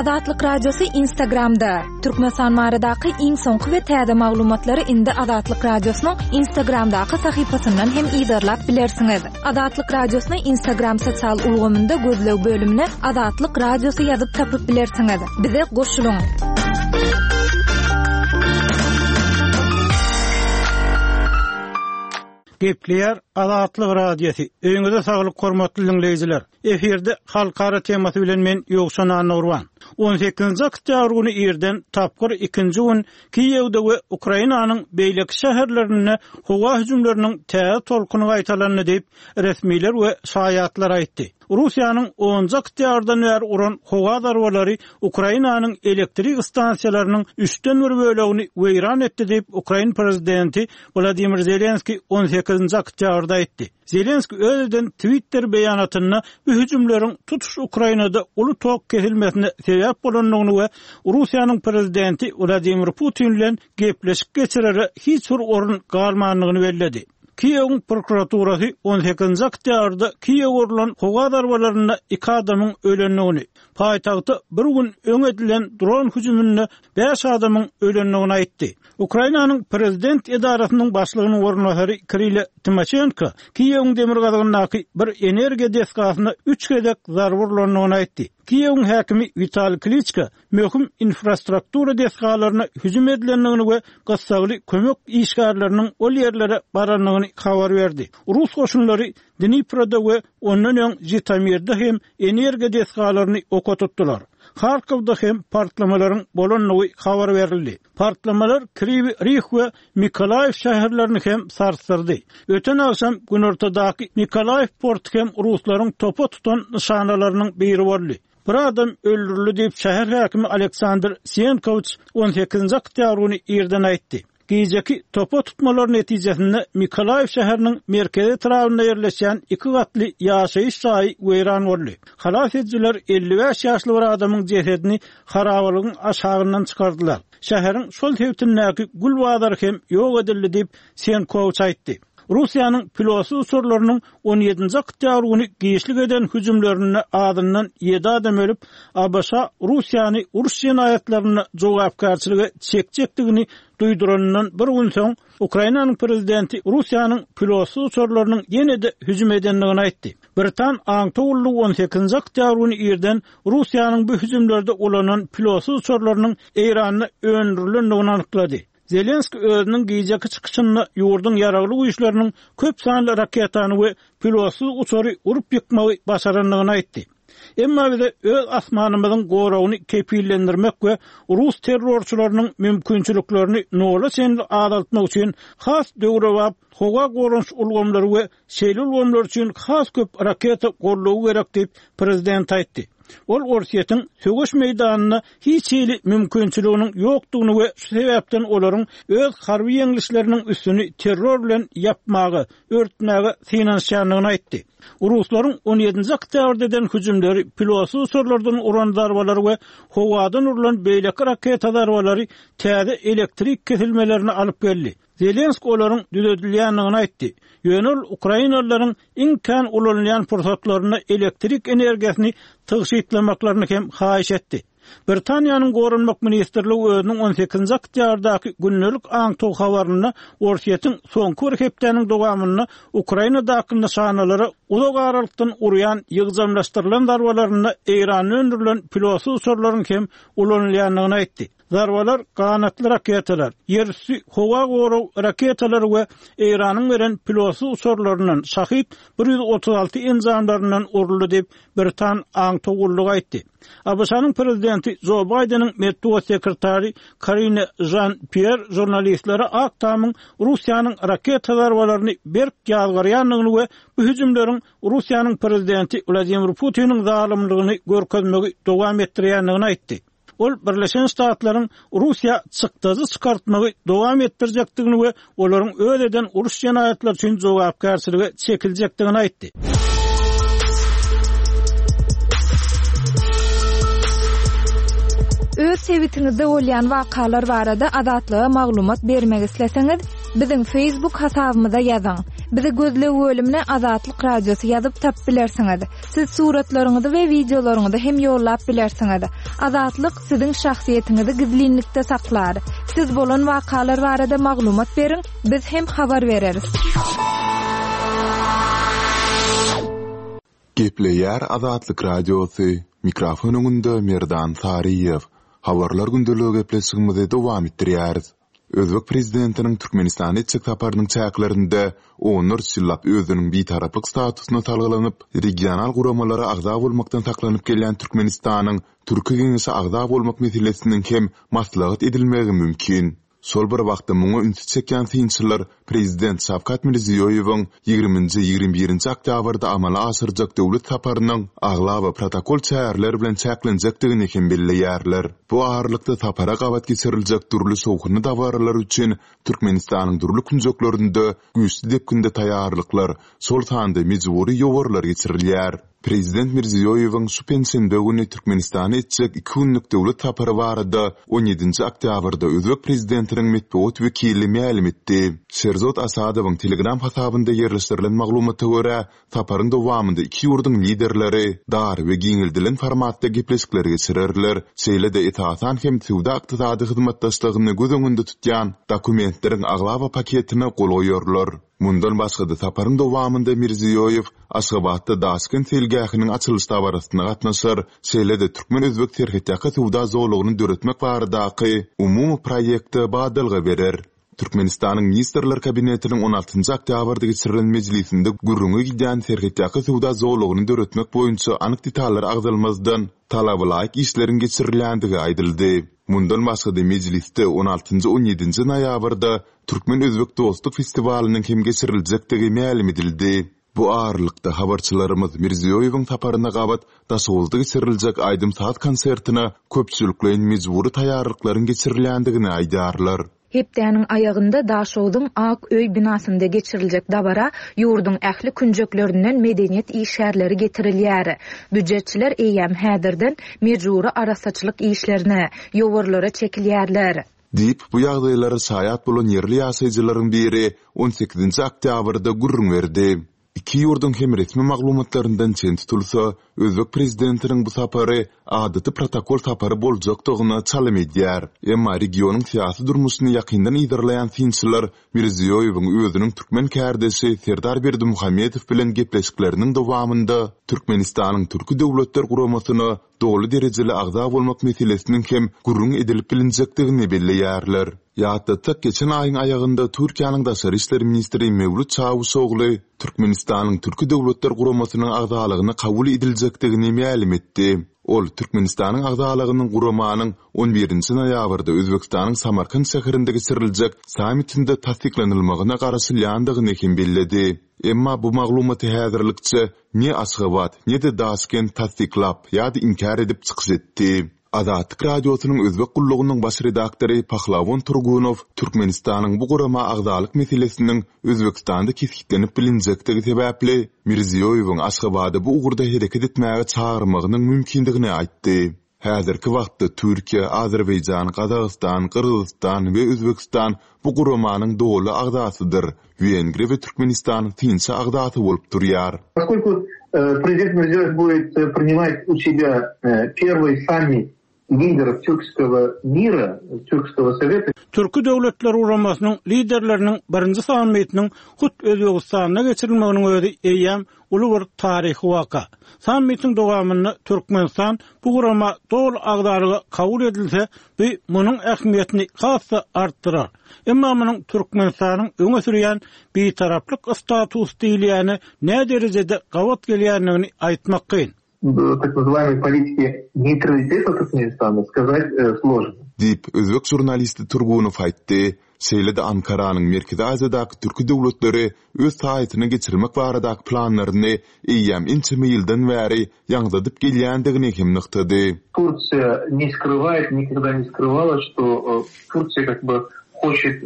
Azatlyk Radiosy Instagramda. Türkmenistan baradaky iň soňky we täze maglumatlary indi Azatlyk Radiosynyň Instagramdaky sahypasyndan hem yzarlap bilersiňiz. Azatlyk Radiosyny Instagram sosial ulgamynda gözleg bölümine Azatlyk Radiosy ýazyp tapyp bilersiňiz. Bize goşulyň! Gepleýär Azatlyk Radiosy. Öýüňize saglyk hormatly diňleýjiler. Efirde halkara temasy bilen men Ýowşan Annagurban. On sekizinji oktýabr güni irden tapgyr ikinji gün Kiýewde we Ukrainanyň beýleki şäherlerinde howa hüjümleriniň täze tolkuny gaýtalandy diýip, resmiler we şaýatlar aýtdy. Russiýanyň onunjy oktýabrdan bäri uran howa zarbalary Ukrainanyň elektrik stansiýalarynyň üçden bir bölegini weýran etdi diýip, ukrain prezidenti Wladimir Zelenskiý on sekizinji oktýabrda aýtdy. Zelenskiý öz eden Twitter beýanatynda bu hüjümleriň tutuş Ukrainada uly tok kesilmesine sebäp bolandygyny we Russiýanyň prezidenti Wladimir Putin bilen gepleşik geçirere hiç bir orun galmandygyny belledi. Kiýewiň prokuraturasy on sekizinji oktýabrda Kiýewe urlan howa zarbalarynda iki adamyň ölendigini, paýtagta bir gün öň edilen dron hüjüminde bäş adamyň ölendigini aýtdy. Ukrainanyň prezident edarasynyň başlygynyň orunbasary Kirille Timoşenko Kiýewiň demirgazygyndaky bir energiýa desgasyna üç gezek zarba urlandygyny aýtdy. Kiýewiň häkimi Witaliý Kliçko möhüm infrastruktura desgalaryna hüjüm edilendigini we gyssagly kömek işgärleriniň ol ýerlere barandygyny habar berdi. Rus goşunlary Dniproda we ondan öň Žitomirde hem energiýa desgalaryny oka tutdular. Harkowda hem partlamalaryň bolandygy habar berildi. Partlamalar Kriwi Rih we Mykolaýiw şäherlerini hem sarsdyrdy. Öten agşam günortadaky Mykolaýiw porty hem ruslaryň topa tutan nyşanalarynyň biri boldy. Bir adam öldürildi diýip, şäher häkimi Aleksandr Sienkowiç on sekizinji oktýabr güni irden aýtdy. Gijeki topa tutmalar netijesinde Mykolaýiw şäheriniň merkezi etrabynda ýerleşýän iki gatly ýaşaýyş jaýy weýran boldy. Halas edijiler 55 ýaşly bir adamyň jesedini harabalygyň aşagyndan çykardylar. Şäheriň şol sebitindäki gül bazary hem ýok edildi diýip, Senkowiç aýtdy. Russiýanyň pilotsyz uçarlarynyň on ýedinji oktýabr güni giçlik eden hüjümlerinde azyndan ýedi adam ölüp, ABŞ Russiýany uruş jenaýatlarynda jogapkärçilige çekjekdigini duýduranyndan bir gün soň, Ukrainanyň prezidenti Russiýanyň pilotsyz uçarlarynyň ýene-de hüjüm edendigini aýtdy. Britan aňtaw gullugy on sekizinji oktýabr güni irden Russiýanyň bu hüjümlerde ulanan pilotsyz uçarlarynyň Eýranda öndürilendigini anyklady. Zelenskiý özüniň gijeki çykyşynda ýurduň ýaragly güýçleriniň köp sanly raketany we pilotsyz uçary urup ýykmagy başarandygyny aýtdy. Emma bize öz asmanymyzyň goragyny kepillendirmek we rus terrorçylarynyň mümkinçiliklerini nola çenli azaltmak üçin has döwrebap howa goranyş ulgamlary we Şeýle ulgamlar üçin has köp raketa goldawy gerek diýip, prezident aýtdy. Ol Orsýetiň söweş meýdanynda hiç hili mümkinçiliginiň ýokdugyny we şu sebäpden olaryň öz harby ýeňlişleriniň üstüni terror bilen ýapmaga, örtmäge synanyşýandygyny aýtdy. Ruslaryň on ýedinji oktýabrda eden hüjümleri, pilotsyz uçarlardan uran zarbalary we howadan urlan beýleki raketa zarbalary täze elektrik kesilmelerine alyp geldi. Zelenski olaryň düzedilýändigini aýtdy. Ýöne ol ukrainalylaryň iň kän ulanylýan pursatlarynda elektrik energiýasyny tygşytlamaklaryny hem haýyş etdi. Britaniýanyň Goranmak ministrligi özüniň on sekizinji oktýabrdaky gündelik aňtaw habarynda Orsýetiň soňky bir hepdäniň dowamynda Ukrainadaky nyşanalara uzak aralykdan urýan ýygjamlaşdyrylan zarbalarynda Eýranda öndürilen pilotsyz uçarlaryň hem ulanylýandygyny aýtdy. Zarbalar ganatly raketalar, ýerüsti howa gorag raketalary we Eýranyň beren pilotsyz uçarlaryndan Şahid 136 enjamlaryndan uruldy diýip, britan aňtaw gullugy aýtdy. ABŞ-nyň prezidenti Jo Baýdeniň metbugat sekretary Karine Žan-Pýer žurnalistlere Ak Tamyň Russiýanyň raketa zarbalaryny berk ýazgarýandygyny we bu hüjümleriň Russiýanyň prezidenti Wladimir Putiniň zalymlygyny görkezmegi dowam etdirýändigini aýtdy. Ol Birleşen Ştatlaryň Russiýa çykdajy çykartmagy dowam etdirjekdigini we olaryň öz eden uruş jenaýatlary üçin jogapkärçilige çekiljekdigini aýtdy. Öz sebitiňizde bolýan wakalar barada Azatlyga maglumat bermek isleseňiz, biziň Facebook hasabymyza ýazyň. Bizi gözleg bölümine Azatlyk Radiosy ýazyp tapyp bilersiňiz. Siz suratlaryňyzy we wideolaryňyzy hem ýollap bilersiňiz. Azatlyk siziň şahsyýetiňizi gizlinlikde saklar. Siz bolan wakalar barada maglumat beriň, biz hem habar bereris. Gepleýär Azatlyk Radiosy, mikrofon öňünde Merdan Saryýew. Habarlar gündeligi gepleşigimizi dowam etdirýäris. Özbek prezidentiniň Türkmenistana etjek saparynyň çäklerinde onlarça ýyllap özüniň bitaraplyk statusyna salgylanyp, regional guramalara agza bolmakdan saklanyp gelýän Türkmenistanyň Türki Geňeşe agza bolmak meselesiniň hem maslahat edilmegi mümkin. Şol bir wagtda muňa ünsi çekýän synçylar prezident Şawkat Mirziýoýewiň ýigriminji-ýigrimi birinji oktýabrda amala aşyrjak döwlet saparynyň aglaba protokol çäreler bilen çäklenjekdigini hem belleýärler. Bu aralykda sapara gabat geçiriljek dürli şowhunly dabaralar üçin Türkmenistanyň dürli künjeklerinde güýçli depginde taýýarlyklar, şol sanda mejbury ýowarlar geçirilýär. Prezident Mirziýoýewiň şu penşenbe güni Türkmenistana etjek iki günlük döwlet sapary barada on ýedinji oktýabrda özbek prezidentiniň metbugat wekili mälim etdi. Şerzod Asadowyň Telegram hasabynda ýerleşdirilen maglumata görä, saparyň dowamynda iki ýurduň liderleri dar we giňeldilen formatda gepleşikler geçirerler, şeýle-de esasan hem söwda-ykdysady hyzmatdaşlygyny göz öňünde tutýan dokumentleriň aglaba paketine gol goýarlar. Mundan başga-da, saparyň dowamynda Mirziýoýew Aşgabatda Daşkent seýilgähiniň açylyş dabarasyna gatnaşar, şeýle-de türkmen-özbek serhetýaka söwda zolagyny döretmek baradaky umumy proýekte badalga berer. Türkmenistanyň Ministrler Kabinetiniň on altynjy oktýabrda geçirilen mejlisinde gürrüňi gidýän serhetýaka söwda zolagyny döretmek boýunça anyk detallar agzalmazdan, talabalaýyk işleriň geçirilýändigi aýdyldy. Mundan başga-da, mejlisde on altynjy-on ýedinji noýabrda Türkmen-özbek dostluk festiwalynyň hem geçiriljekdigi mälim edildi. Bu aralykda, habarçylarymyz Mirziýoýewiň saparyna gabat Daşoguzda geçiriljek aýdym-saz konsertine köpçülikleýin mejbury taýýarlyklaryň geçirilýändigini aýdýarlar. Hepdäniň aýagynda Daşogzuň Ak öý binasynda geçiriljek dabara ýurduň ähli künjeklerinden medeniýet işgärleri getirilýär. Býujetçiler eýýäm häzirden mejbury arassaçylyk işlerine, ýowarlara çekilýärler. Diýip, bu ýagdaýlara şaýat bolan ýerli ýaşaýjylaryň biri on sekizinji oktýabrda gürrüň berdi. Iki ýurduň hem resmi maglumatlaryndan çen tutulsa, özbek prezidentiniň bu sapary adaty protokol sapary boljakdygyna çalym edýär. Emma regionyň syýasy durmuşyny ýakyndan yzarlaýan synçylar Mirziýoýewiň özüniň türkmen kärdeşi Serdar Berdimuhamedow bilen gepleşikleriniň dowamynda Türkmenistanyň Türki Döwletler Guramasyna doly derejeli agza bolmak meselesiniň hem gürrüň edilip bilinjekdigini belleýärler. Ýatlatsak, geçen aýyň aýagynda Türkiýäniň daşary işler ministri Mewlüt Çawuşogly Türkmenistanyň Türki Döwletler Guramasynyň agzalygyna kabul ediljekdigini mälim etdi. Ol Türkmenistanyň agzalygynyň guramanyň on birinji noýabrda Özbegistanyň Samarkant şäherinde geçiriljek sammitinde tassyklanylmagyna garaşylýandygyny hem belledi. Emma bu maglumaty häzirlikçe ne Aşgabat, ne-de Daşkent tassyklap ýa-da inkär edip çykyş etdi. Azatlyk Radiosynyň Özbek gullugynyň baş redaktory Pahlawon Turgunow Türkmenistanyň bu gurama agzalyk meselesiniň Özbegistanda kesgitlenip bilinjekdigi sebäpli, Mirziýoýewiň Aşgabady bu ugurda hereket etmäge çagyrmagynyň mümkindigini aýtdy. Häzirki wagtda Türkiýe, Azerbaýjan, Gazagystan, Gyrgyzystan we Özbegistan bu guramanyň doly agzasydyr. Wengriýa we Türkmenistan synçy agzasy bolup durýar. Poskoliku prezident Mirziýoýew budet prinimat u sebýa perwyý sammit liderov türkskogo mira, türkskogo soweta. Türki Döwletler Guramasynyň liderleriniň birinji sammitiniň hut Özbegistanda geçirilmeginiň özi eýýäm uly bir taryhy waka. Sammitiň dowamynda Türkmenistan bu gurama doly agzalyga kabul edilse, bu munuň ähmiýetini has-da artdyrar. Emma munuň Türkmenistanyň öňe sürýän bitaraplyk statusy diýilýäne näderejede gabat gelýändigini aýtmak kyn. Tak nazywayemoi politiki neýtraliteta Türkmenistana skazat složno. Diýip, özbek žurnalisti Turgunow aýtdy. Şeýle-de Ankaranyň Merkezi Aziýadaky türki döwletleri öz saýasyna geçirmek baradaky planlaryny eýýäm ençeme ýyldan bäri ýaňzydyp gelýändigini hem nygtady. Tursiýa ne skrywaet, nikogda ne skryvala, çto Tursiýa kak by hoçet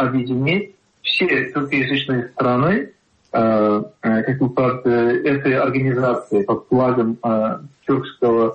obýedinit wse türkoýazyçnyye strany kak by pod etoý organizasiýaý, pod flagom Türkskogo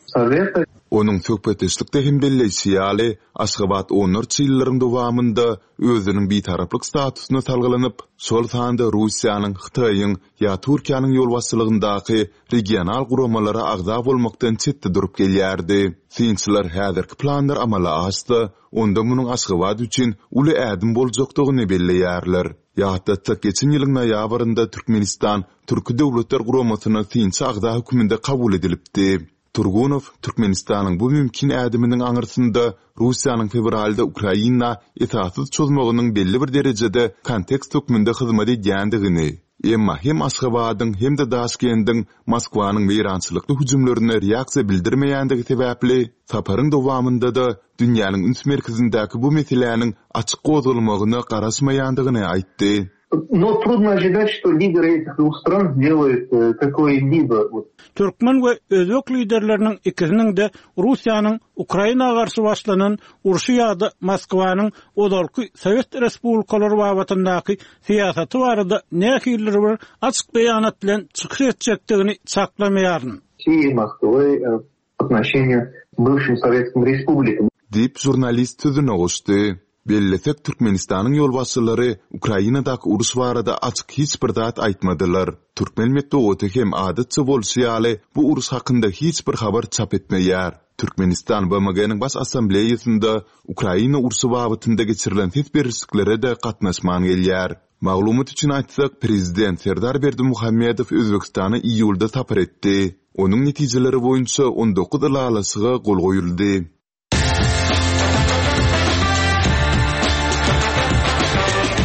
soweta. Onuň söhbetdeşlikde hem belleýşi ýaly, Aşgabat onlarça ýyllaryň dowamynda özüniň bitaraplyk statusyna salgylanyp, şol sanda Russiýanyň, Hytaýyň ýa Türkiýäniň ýolbaşçylygyndaky regional guramalara agza bolmakdan çetde durup gelýärdi. Synçylar häzirki planlar amala aşsa, onda munuň Aşgabat üçin uly ädim boljakdygyny belleýärler. Ýatlatsak, geçen ýylyň noýabrynda Türkmenistan Türki Döwletler Guramasyna synçy agza hökmünde kabul edilipdi. Turgunow Türkmenistanyň bu mümkin ädiminiň aňyrsynda Russiýanyň fewralda Ukraina esassyz çozmagynyň belli bir derejede kontekst hökmünde hyzmat edýändigini, emma hem Aşgabadyň, hem-de Daşkendiň Moskwanyň weýrançylykly hüjümlerine reaksiýa bildirmeýändigi sebäpli, saparyň dowamynda-da dünýäniň üns merkezindäki bu meseläniň açyk gozgalmagyna garaşmaýandygyny aýtdy. No trudno ожидать, что lidery etih dwuh stran sdeloýut kakoý-libo вот. Türkmen we özbek liderleriniň ikisiniň-de Russiýanyň Ukraina garşy başlanan urşy ýa-da Moskwanyň ozalky sowet respublikalary babatyndaky syýasaty barada nähilidir bir açyk beýanat bilen çykyş etjekdigini çaklamaýaryn. России, Moskwy po otnoşeniýu bywşim sowetskim respublikam. Diýip, žurnalist sözüne goşdy. Bellesek, Türkmenistanyň ýolbaşçylary Ukrainadaky uruş barada açyk hiç bir zat aýtmadylar. Türkmen metbugaty hem adatça bolşy ýaly bu uruş hakynda hiç bir habar çap etmeýär. Türkmenistan BMG-niň Baş Assambleýasynda Ukraina urşy babatynda geçirilen ses berişliklere-de gatnaşman gelýär. Maglumat üçin aýtsak, prezident Serdar Berdimuhamedow Özbegistana iýulda sapar etdi. Onuň netijeleri boýunça 19 ylalaşyga gol goýuldy.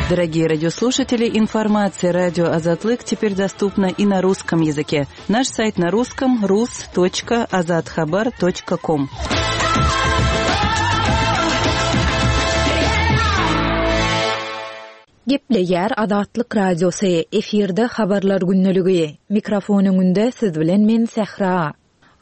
Дорогие радиослушатели, информация радио Азатлык теперь доступна и на русском языке. Наш сайт на русском rus.azathabar.com. Gepleýär Azatlyk Radiosy, efirde Habarlar gündeligi. Mikrofon öňünde siz bilen men Sähra.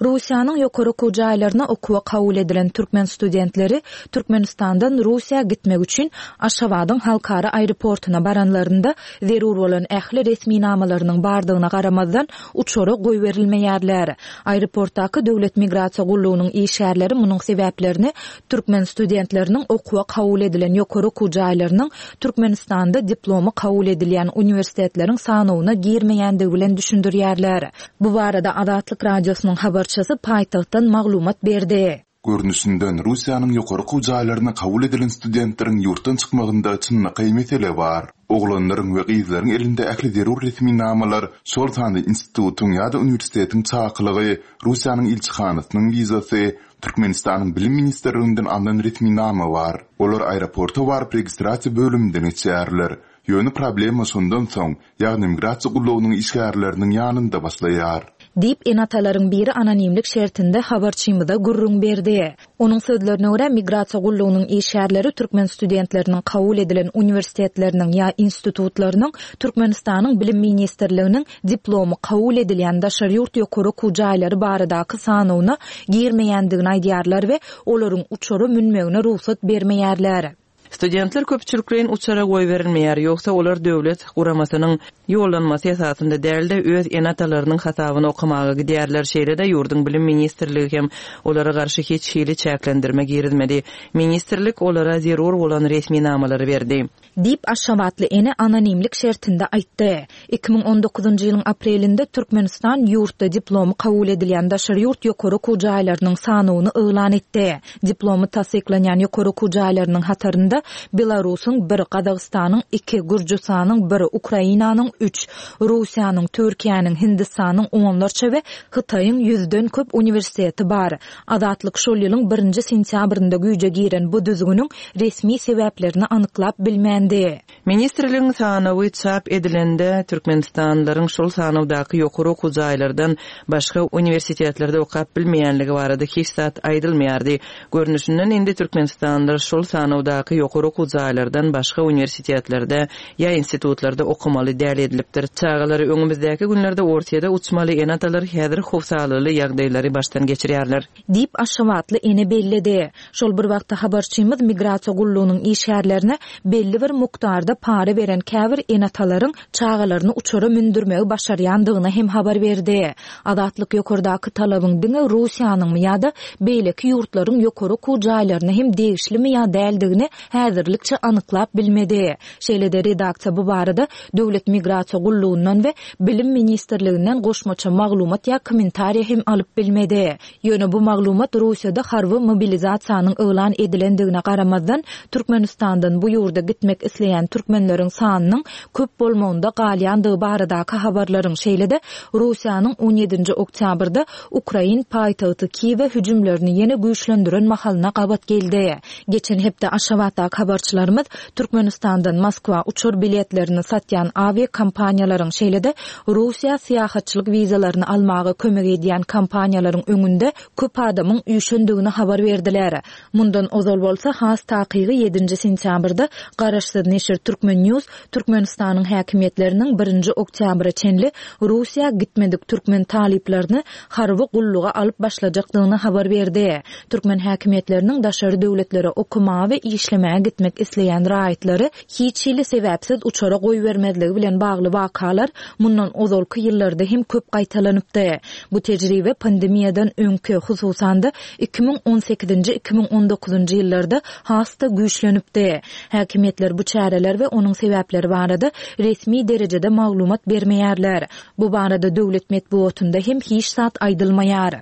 Russiýanyň ýokary okuw jaýlaryna okuwa kabul edilen türkmen studentleri Türkmenistandan Russiýa gitmek üçin Aşgabadyň halkara aeroportuna baranlarynda zerur bolan ähli resminamalarynyň bardygyna garamazdan uçara goýberilmeýärler. Aeroportdaky Döwlet migrasiýa gullugynyň işgärleri munuň sebäplerini türkmen studentleriniň okuwa kabul edilen ýokary okuw jaýlarynyň Türkmenistanda diplomy kabul edilýän uniwersitetleriň sanawyna girmeýändigi bilen düşündirýärler. Bu barada Azatlyk Radiosynyň habarçysy paýtagtdan maglumat berdi. Görnüşinden, Russiýanyň ýokary okuw jaýlaryna kabul edilen studentleriň ýurtdan çykmagynda çynlakaý mesele bar. Oglanlaryň we gyzlaryň elinde ähli zerur resminamalar, şol sanda institutyň ýa-da uniwersitetiň çakylygy, Russiýanyň ilçihanasynyň wizasy, Türkmenistanyň Bilim ministrliginden alnan resminama bar. Olar aeroporta baryp registrasiýa bölüminden geçýärler. Ýöne problema şondan soň, ýagny migrasiýa gullugynyň işgärleriniň ýanynda başlaýar. Diýip, ene-atalaryň biri anonimlik şertinde habarçymyza gürrüň berdi. Onuň sözlerine görä, migrasiýa gullugynyň işgärleri türkmen studentleriniň kabul edilen uniwersitetleriniň ýa institutlarynyň Türkmenistanyň Bilim ministrliginiň diplomy kabul edilýän daşary ýurt ýokary okuw jaýlary baradaky sanawyna girmeýändigini aýdýarlar we olaryň uçara münmegine rugsat bermeýärler. Studentler köpçülikleýin uçara goýberilmeýär, ýogsa olar döwlet guramasynyň ýollanmasy esasynda däl-de, öz ene-atalarynyň hasabyna okamaga gidýärler. Şeýle-de, ýurduň Bilim ministrligi hem olara garşy hiç hili çäklendirme girizmedi. Ministrlik olara zerur bolan resminamalary berdi. Diýip, aşgabatly ene anonimlik şertinde aýtdy. 2019-njy ýylyň aprelinde Türkmenistan ýurtda diplomy kabul edilýän daşary ýurt ýokary okuw jaýlarynyň sanawyny yglan etdi. Diplomy tassyklanýan ýokary okuw jaýlarynyň hatarynda Belarusyň bir, Gazagystanyň iki, Gürjüstanyň bir, Ukrainanyň üç, Russiýanyň, Türkiýäniň, Hindistanyň onlarça we Hytaýyň ýüzden köp uniwersiteti bar. Azatlyk şol ýylyň birinji sentýabrynda güýje giren bu düzgüniň resmi sebäplerini anyklap bilmändi. Ministrligiň sanawy çap edilende, türkmenistanlylaryň şol sanawdaky ýokary okuw jaýlardan başga uniwersitetlerde okap bilmeýänligi barada hiç zat aýdylmaýardy. Görnüşinden, indi türkmenistanlylar şol sanawdaky ýokary. ýokary okuw jaýlardan başga uniwersitetlerde ýa institutlarda okamaly däl edilipdir. Çagalary öňümizdäki günlerde Orsýede uçmaly ene-atalar häzir howsalaly ýagdaýlary başdan geçirýärler. Diýip, aşgabatly ene belledi. Şol bir wagtda habarçymyz migrasiýa gullugynyň işgärlerine belli bir mukdarda para beren käbir ene-atalaryň çagalaryny uçara mündürmegi başarýandygyny hem habar berdi. Azatlyk ýokardaky talabyň diňe Russiýanyňmy ýa-da beýleki ýurtlaryň ýokary okuw jaýlaryna hem degişlimi ýa däldigini häzirlikçe anyklap bilmedi. Şeýle-de redaksiýa bu barada Döwlet migrasiýa gullugyndan we Bilim ministrliginden goşmaça maglumat ýa kommentariýa hem alyp bilmedi. Ýöne bu maglumat Russiýada harby mobilizasiýanyň yglan edilendigine garamazdan, Türkmenistandan bu ýurda gitmek isleýän türkmenleriň sanynyň köp bolmagynda galýandygy baradaky habarlaryň, şeýle-de Russiýanyň on ýedinji oktýabrda ukrain paýtagty Kiýewe hüjümlerini ýene güýçlendiren mahalyna gabat geldi. Geçen hepde Aşgabatdaky habarçylarymyz Türkmenistandan Moskwa uçar biletlerini satýan awiakompaniýalaryň, şeýle-de Russiýa syýahatçylyk wizalaryny almaga kömek edýän kompaniýalaryň öňünde köp adamyň üýşendigini habar berdiler. Mundan ozal bolsa, has takygy ýedinji sentýabrda garaşsyz neşir Turkmen. News Türkmenistanyň häkimiýetleriniň birinji oktýabra çenli Russiýa gitmedik türkmen talyplaryny harby gulluga alyp başlajakdygyny habar berdi. Türkmen häkimiýetleriniň daşary döwletlere okamaga we işlemäge gitmek isleýän raýatlary hiç hili sebäpsiz uçara goýbermezligi bilen bagly wakalar mundan ozalky ýyllarda hem köp gaýtalanypdy. Bu tejribe pandemiýadan öňki, hususan-da, 2018-nji, 2019-njy ýyllarda has-da güýçlenipdi. Häkimiýetler bu çäreler we onuň sebäpleri barada resmi derejede maglumat bermeýärler. Bu barada döwlet metbugatynda hem hiç zat aýdylmaýar.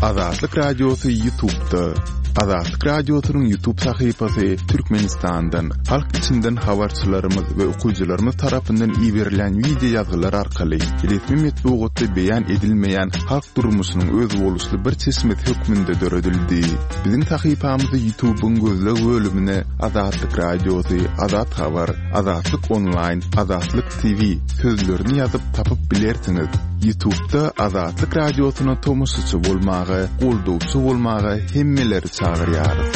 Azatlyk Radiosy Ýutubda. Azatlyk Radiosynyň Ýutub sahypasy Türkmenistandan, halk içinden habarçylarymyz we okyjylarymyz tarapyndan iberilen wideo ýazgylar arkaly resmi metbugatda beýan edilmeýän halk durmuşynyň özboluşly bir çeşmesi hökmünde döredildi. Biziň sahypamyzy Ýutubyň gözleg bölümine Azatlyk Radiosy, Azat Habar, Azatlyk Onlaýn, Azatlyk TV sözlerini ýazyp tapyp bilersiňiz. Ýutubda Azatlyk Radiosyna tomaşaçy bolmaga, goldawçy bolmaga hemmeleri çagyrýarys.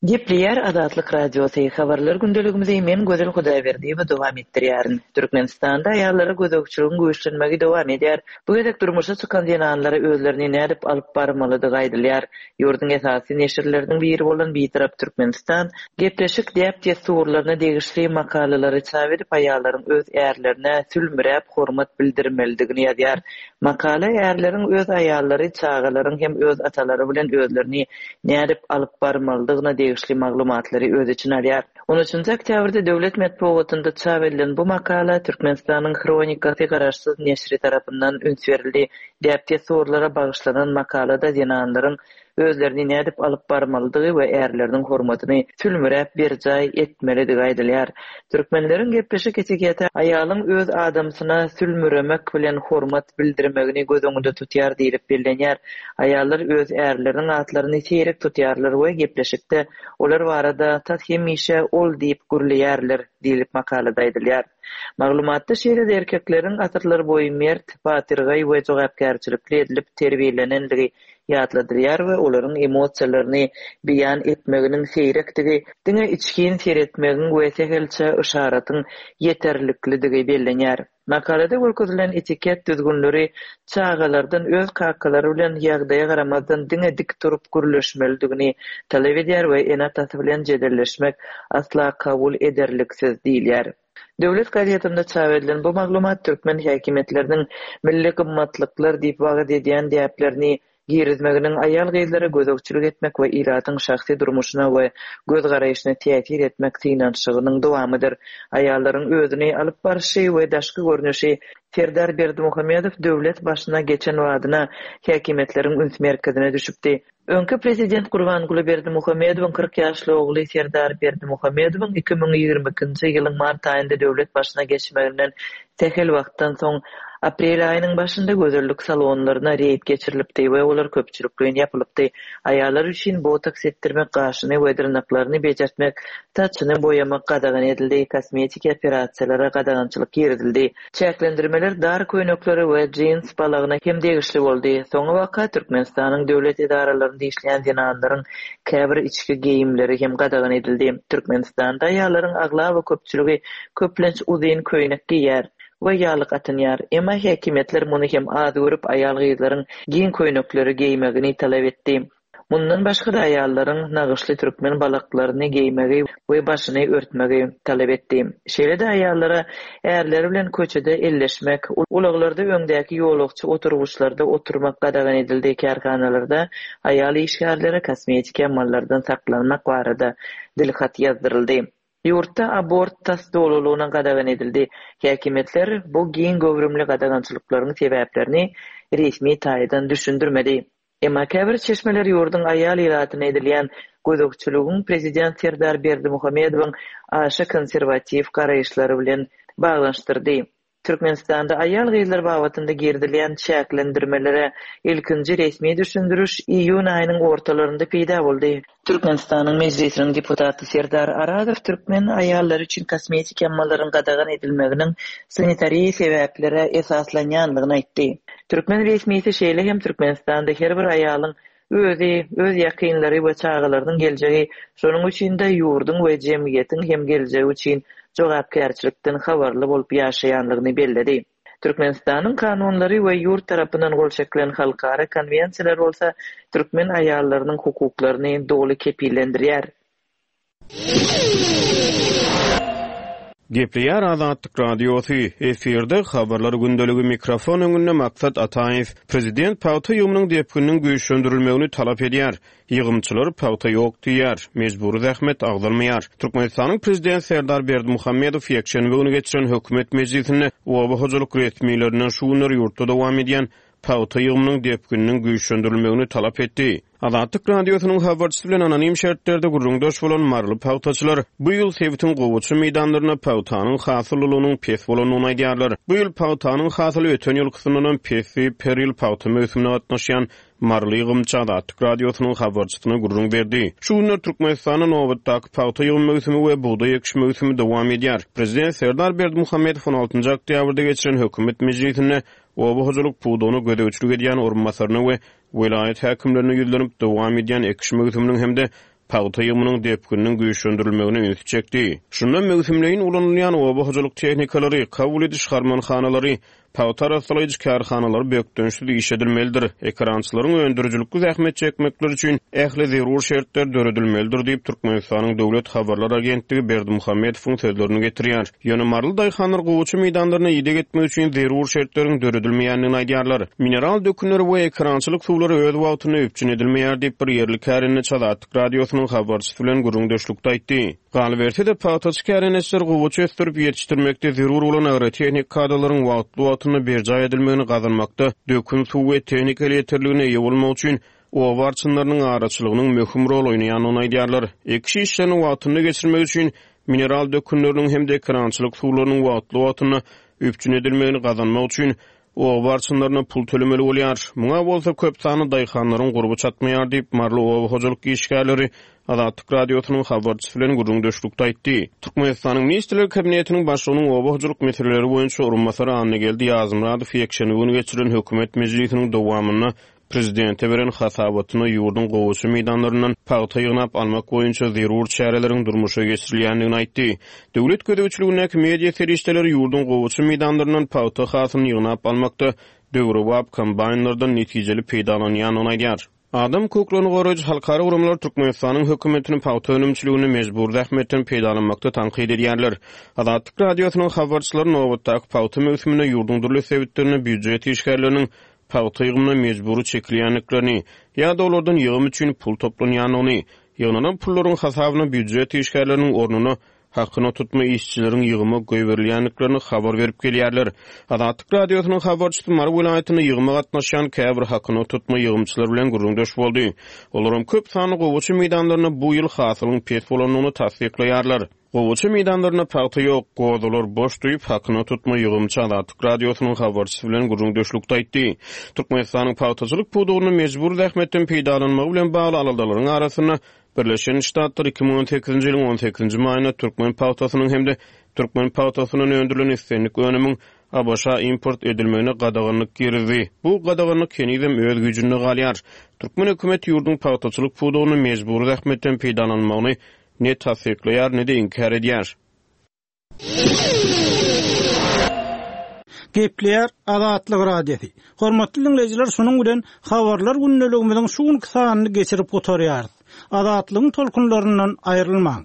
Gepleýär Azatlyk Radiosy, Habarlar gündeligimizi men Gözel Hudaýberdiýewa dowam etdirýärin. Türkmenistanda aýallara gözegçiligiň güýçlenmegi dowam edýär. Bu gezek durmuşa çykan zenanlara özlerini nädip alyp barmalydygy aýdylýar. Ýurduň esasy neşirleriniň biri bolan Bitarap Türkmenistan gepleşik däp-dessurlaryna degişli makalalary çap edip, aýallaryň öz ärlerine sülmüräp hormat bildirmelidigini ýazýar. Makala ärleriň öz aýallary, çagalaryň hem öz atalary bilen özlerini nädip alyp barmalydygyna degişli maglumatlary öz içine alýar. On üçünji oktýabrda döwlet metbugatynda çap edilen bu makala Türkmenistanyň Hronikasy garaşsyz neşiri tarapyndan üns berildi. Däp-dessurlara bagyşlanan makalada zenanlaryň özlerini nädip alyp barmalydygy we ärleriniň hormatyny sülmüräp berjaý etmelidigi aýdylýar. Türkmenleriň gepleşik etiketi aýalyň öz adamsyna sülmüremek bilen hormat bildirmegini göz öňünde tutýar diýlip bellenýär. Aýallar öz ärleriniň atlaryny seýrek tutýarlar we gepleşikde olar barada tas hemişe ol diýip gürleýärler diýlip makalada aýdylýar. Maglumatda şeýle-de erkekleriň asyrlarboýy mert, batyrgaý we jogapkärçilikli edilip terbiýelenendigi ýatladylýar we olaryň emosiýalaryny beýan etmeginiň seýrekdigi, diňe içgin seretmegiň we sähelçe yşaratyň ýeterliklidigi bellenýär. Makalada görkezilen etiket düzgünleri çagalardan öz kakalary bilen ýagdaýa garamazdan diňe dik durup gürleşmelidigini talap edýär we ene-atasy bilen jedelleşmek asla kabul ederliksiz diýilýär. Döwlet gazetinde çap edilen bu maglumat türkmen häkimiýetleriniň milli gymmatlyklar diýip wagyz edýän däplerini girizmeginiň aýal-gyzlara gözegçilik etmek we ilatyň şahsy durmuşyna we göz-garaýşyna täsir etmek synanyşygynyň dowamydyr. Aýallaryň özüni alyp barşy we daşky görnüşi Serdar Berdimuhamedow döwlet başyna geçen badyna häkimiýetleriň üns merkezine düşüpdi. Öňki prezident Gurbanguly Berdimuhamedowyň 40 ýaşly ogly Serdar Berdimuhamedowyň 2022-nji ýylyň mart aýynda döwlet başyna geçmeginden sähel wagtdan soň. Aprel aýynyň başynda gözellik salonlaryna reýd geçirilipdi we olar köpçülikleýin ýapylypdy. Aýallar üçin botoks etdirmek, gaşyny we dyrnaklaryny bejertmek, saçyny boýamak gadagan edildi, kosmetiki operasiýalara gadagançylyk girizildi. Çäklendirmeler dar köýneklere we jins balagyna hem degişli boldy. Soňabaka Türkmenistanyň döwlet edaralarynda işleýän zenanlaryň käbir içki geýimleri hem gadagan edildi. Türkmenistanda aýallaryň aglaba köpçüligi köplenç uzyn köýnek geýýär. We ýaglyk atynýar. Emma häkimiýetler muny hem az görüp, aýal-gyzlaryň giň köýnekleri geýmegini talap etdi. Mundan başga-da aýallaryň nagyşly türkmen balaklaryny geýmegi we başyny örtmegi talap etdi. Şeýle-de aýallara ärleri bilen köçede elleşmek, ulaglarda öňdäki ýolagçy oturgyçlarda oturmak gadagan edildi, kärhanalarda aýal işgärlere kosmetiki amallardan saklanmak barada dilhat ýazdyryldy. Ýurtda abort tas dolulygyna gadagan edildi. Häkimiýetler bu giň göwrümli gadagançylyklaryň sebäplerini resmi taýdan düşündirmedi. Emma käbir çeşmeler ýurduň aýal ilatyna edilýän gözegçiligiň prezident Serdar Berdimuhamedowyň aşa konserwatiw garaýyşlary bilen baglanyşdyrdy. Türkmenistanda aýal-gyzlar babatynda girizilýän çäklendirmelere ilkinji resmi düşündiriş iýun aýynyň ortalarynda peýda boldy. Türkmenistanyň Mejlisiniň deputaty Serdar Arazow türkmen aýallary üçin kosmetiki amallaryň gadagan edilmeginiň sanitariýa sebäplere esaslanýandygyny aýtdy. Türkmen resmisi şeýle hem Türkmenistanda her bir aýalyň Özi, öz ýakynlary we çagalarynyň geljegi, şonuň üçin-de ýurduň we jemgyýetiň hem geljegi üçin jogapkärçilikden habarly bolup ýaşaýanlygyny belledi. Türkmenistanyň kanunlary we ýurt tarapyndan gol çekilen halkara konwensiýalar bolsa türkmen aýallarynyň hukuklaryny doly kepillendirýär. Gepleýär Azatlyk Radiosy, efirde Habarlar gündeligi mikrofon öňünde Maksat Ataýew. Prezident pagta ýygymynyň depgininiň güýçlendirilmegini talap edýär. Ýygymçylar pagta ýok diýýär, mejbury zähmet agzalmaýar. Türkmenistanyň Prezidenti Serdar Berdimuhamedow ýekşenbe güni geçiren hökümet mejlisinde oba hojalyk resmilerinden şu günler ýurtda dowam edýän pagta ýygymynyň depgininiň güýçlendirilmegini talap etdi. Azatlyk Radiosynyň habarçysy bilen anonim şertlerde gürrüňdeş bolan maryly pagtaçylar bu ýyl sebitiň gowaça meýdanlarynda pagtanyň hasyllylygynyň pes bolandygyny aýdýarlar. Bu ýyl pagtanyň hasyly öten ýylkysyndanam pes diýip, her ýyl pagta möwsümine gatnaşýan maryly ýygymçy Azatlyk Radiosynyň habarçysyna gürrüň berdi. Şu günler Türkmenistanda nobatdaky pagta ýygym möwsümi we bugdaý ekiş möwsümi dowam edýär. Prezident Serdar Berdimuhamedow on altynjy oktýabrda geçiren hökümet mejlisinde oba hojalyk pudagyna gözegçilik edýän orunbasaryna we welaýat häkimlerine ýüzlenip, dowam edýän ekiş möwsüminiň hem-de pagta ýygymynyň depgininiň güýçlendirilmegine ünsi çekdi. Şunda möwsümleýin ulanylýan oba hojalyk tehnikalary, kabul ediş harmanhanalary, pagta arassalaýjy kärhanalar bökdençsiz işledilmelidir, ekerançylaryň öndürijilikli zähmet çekmekleri üçin ähli zerur şertler döredilmelidir diýip, Türkmenistanyň döwlet habarlar agentligi Berdimuhamedowyň sözlerini getirýär. Ýöne maryly daýhanlar gowaça meýdanlaryna ideg etmek üçin zerur şertleriň döredilmeýändigini aýdýarlar. Mineral dökünleri we ekerançylyk suwlary öz wagtynda üpjün edilmeýär diýip, bir ýerli kärendeçi Azatlyk Radiosynyň habarçysy bilen gürrüňdeşlikde aýtdy. Galyberse-de, pagtaçy kärendeçiler gowaça ösdürip ýetişdirmekde zerur bolan agrotehnik kadalaryň wagtly-wagtynda berjaý edilmegini gazanmakda dökün suw we tehnika elýeterligine eýe bolmak üçin oba arçynlarynyň araçylygynyň möhüm rol oýnaýandygyny aýdýarlar. Ekiş işlerini wagtynda geçirmek üçin mineral dökünleriniň hem-de ekerançylyk suwlarynyň wagtly-wagtynda üpjün edilmegini gazanmak üçin oba arçynlaryna pul tölemeli bolýar. Muňa bolsa köp sanly daýhanlaryň gurby çatmaýar diýip, maryly oba hojalyk işgärleri Azatlyk Radiosynyň habarçysy bilen gürrüňdeşlikde aýtdy. Türkmenistanyň Ministrler Kabinetiniň Başlygynyň oba hojalyk meseleleri boýunça orunbasary Annageldi Ýazmyradow ýekşenbe güni geçirilen hökümet mejlisiniň dowamynda Prezidente beren hasabatynda ýurduň gowaça meýdanlaryndan pagta ýygnap almak boýunça zerur çäreleriň durmuşa geçirilýändigini aýtdy. Döwlet gözegçiligindäki media serişdeleri ýurduň gowaça meýdanlaryndan pagta hasylyny ýygnap almakda döwrebap kombaýnlardan netijeli peýdalanýandygyny aýdýar. Adam hukuklaryny goraýjy halkara guramalar Türkmenistanyň hökümetini pagta önümçiliginde mejbury zähmetden peýdalanmakda tankyt edýärler. Azatlyk Radiosynyň habarçylary nobatdaky pagta möwsüminde ýurduň dürli sebitlerinde býujet işgärleriniň pagta ýygymyna mejbury çekilýändiklerini ýa-da olardan ýygym üçin pul toplanýandygyny, ýygnanan pullaryň hasabyna býujet işgärleriniň ornuna hakyna tutma işçileriň ýygyma goýberilýändiklerini habar berip gelýärler. Azatlyk Radiosynyň habarçysy Mary welaýatynda ýygyma gatnaşýan käbir hakyna tutma ýygymçylar bilen gürrüňdeş boldy. Olaram köp sanly gowaça meýdanlarynda bu ýyl hasylyň pes bolandygyny tassyklaýarlar. Gowaça meýdanlarynda pagta ýok, gozalar boş diýip, hakyna tutma ýygymçy Azatlyk Radiosynyň habarçysy bilen gürrüňdeşlikde aýtdy. Türkmenistanyň pagtaçylyk pudagynda mejbury zähmetden peýdalanmagy bilen bagly aladalaryň arasynda, Birleşen Ştatlar 2018-nji ýylyň on sekizinji maýynda türkmen pagtasynyň hem-de türkmen pagtasyndan öndürilen islendik önümiň ABŞ-a import edilmegine gadaganlyk girizdi. Bu gadaganlyk henizem öz güýjünde galýar. Türkmen hökümeti ýurduň pagtaçylyk pudagynda mejbury zähmetden peýdalanylmagyny ne tassyklaýar, ne-de inkär edýär. Gepleýär Azatlyk Radiosy. Hormatly diňleýjiler, şunuň bilen Habarlar gündeligimiziň şu günki sanyny geçirip gutarýarys. Azatlygyň tolkunlaryndan aýrylmaň!